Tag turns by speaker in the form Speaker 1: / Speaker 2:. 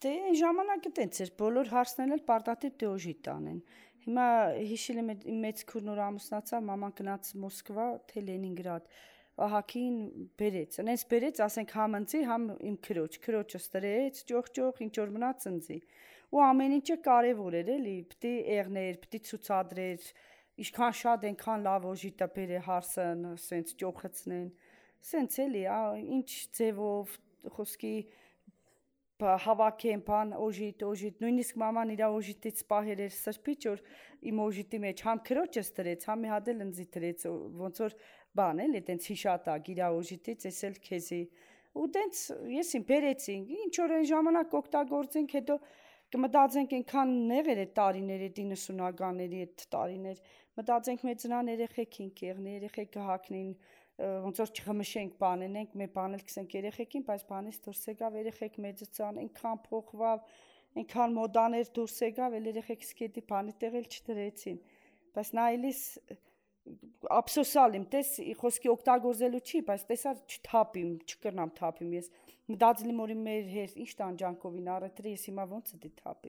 Speaker 1: Դե այն ժամանակը տենց էր, բոլոր հարցներն էլ պարտադիր դեոժիտ տանեն։ Հիմա հիշել եմ իմ մեծ քուրն որ ամուսնացավ, մաման գնաց Մոսկվա, թե Լենինգրադ, ահագին բերեց, այնպես բերեց, ասենք համ ընձի, համ իմ քրոջը ստրեց, ճոխ, ինչ որ մնաց ընձի։ Ու ամեն ինչը կարևոր էր, էլի, պիտի եղներ, պիտի ցուցադրեր, ինչքան շատ այնքան լավ օժիտը բերե հարսն, սենց ճոխացնեն, սենց էլի, ինչ ձևով, խոսքի հավաքեն, բան, օժիտ, նույնիսկ մաման իր օժիտից պահեր էր սրբիչ, որ իմ օժիտի մեջ համ քրոջս դրեց, համ մի հատ էլ ընձի դրեց, ոնց որ բան էլի, տենց հիշատակ իր օժիտից, ես էլ քեզի։ Ու տենց եսին բերեցինք, ինչ որ այն ժամանակ օգտագործենք, հետո կմտածենք այնքան նեղեր այդ տարիներ, այդ 90-ականների այդ տարիներ, մտածենք մեր ծնան երեխեք ենք եղնի, երեխեք կհակնին, ոնց որ չխմշենք բանենենք, մեր բանել կսենք երեխեքին, բայց բանից դուրս եկավ երեխեք մեծացան, այնքան փոխվավ, այնքան մոդաներ դուրս եկավ, էլ երեխեքս գետի բանի տեղել չդրեցին, բայց նայելիս ափսոսալ եմ, տես խոսքի օգտագործելու չի, բայց տեսա չթափիմ, չկրնամ թափիմ ես, մտածել եմ որ մեր հեր ինչ տանջանքովին առետրի, ես հիմա ոնց է դի թափի